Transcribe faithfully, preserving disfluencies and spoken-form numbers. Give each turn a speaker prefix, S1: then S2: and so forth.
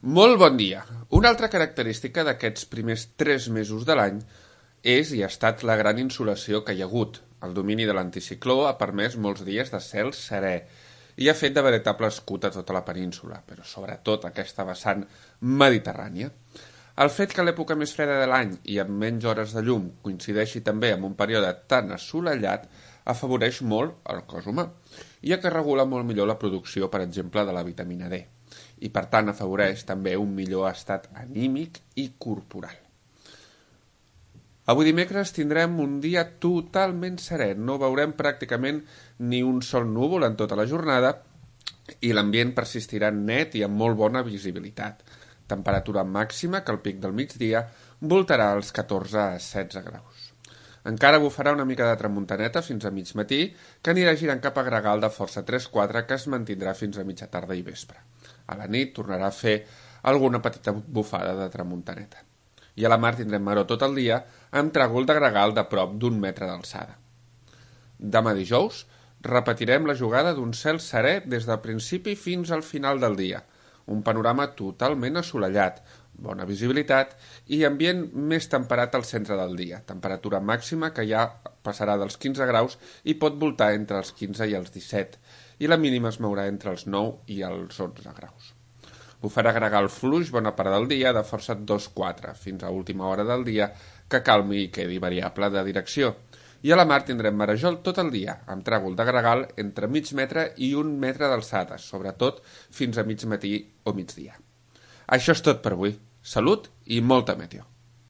S1: Molt bon dia. Una altra característica d'aquests primers tres mesos de l'any és i ha estat la gran insolació que hi ha hagut. El domini de l'anticicló ha permès molts dies de cel serè i ha fet de veritable escut a tota la península, però sobretot aquesta vessant mediterrània. El fet que l'època més freda de l'any i amb menys hores de llum coincideixi també amb un període tan assolellat afavoreix molt el cos humà, ja que regula molt millor la producció, per exemple, de la vitamina D, i per tant afavoreix també un millor estat anímic i corporal. Avui dimecres tindrem un dia totalment serè, no veurem pràcticament ni un sol núvol en tota la jornada i l'ambient persistirà net i amb molt bona visibilitat. Temperatura màxima que al pic del migdia voltarà als catorze a setze graus. Encara bufarà una mica de tramuntaneta fins a mig matí, que anirà girant cap a gregal de força tres quatre, que es mantindrà fins a mitja tarda i vespre. A la nit tornarà a fer alguna petita bufada de tramuntaneta. I a la mar tindrem maror tot el dia, amb tràgol de gregal de prop d'un metre d'alçada. Demà dijous repetirem la jugada d'un cel serè des del principi fins al final del dia. Un panorama totalment assolellat, bona visibilitat i ambient més temperat al centre del dia. Temperatura màxima que ja passarà dels quinze graus i pot voltar entre els quinze i els disset, i la mínima es mourà entre els nou i els onze graus. Bufarà gregal fluix bona part del dia de força dos quatre, fins a última hora del dia que calmi i quedi variable de direcció. I a la mar tindrem marejol tot el dia, amb tràgol de gregal entre mig metre i un metre d'alçada, sobretot fins a mig matí o migdia. Això és tot per avui. Salut i molta meteo.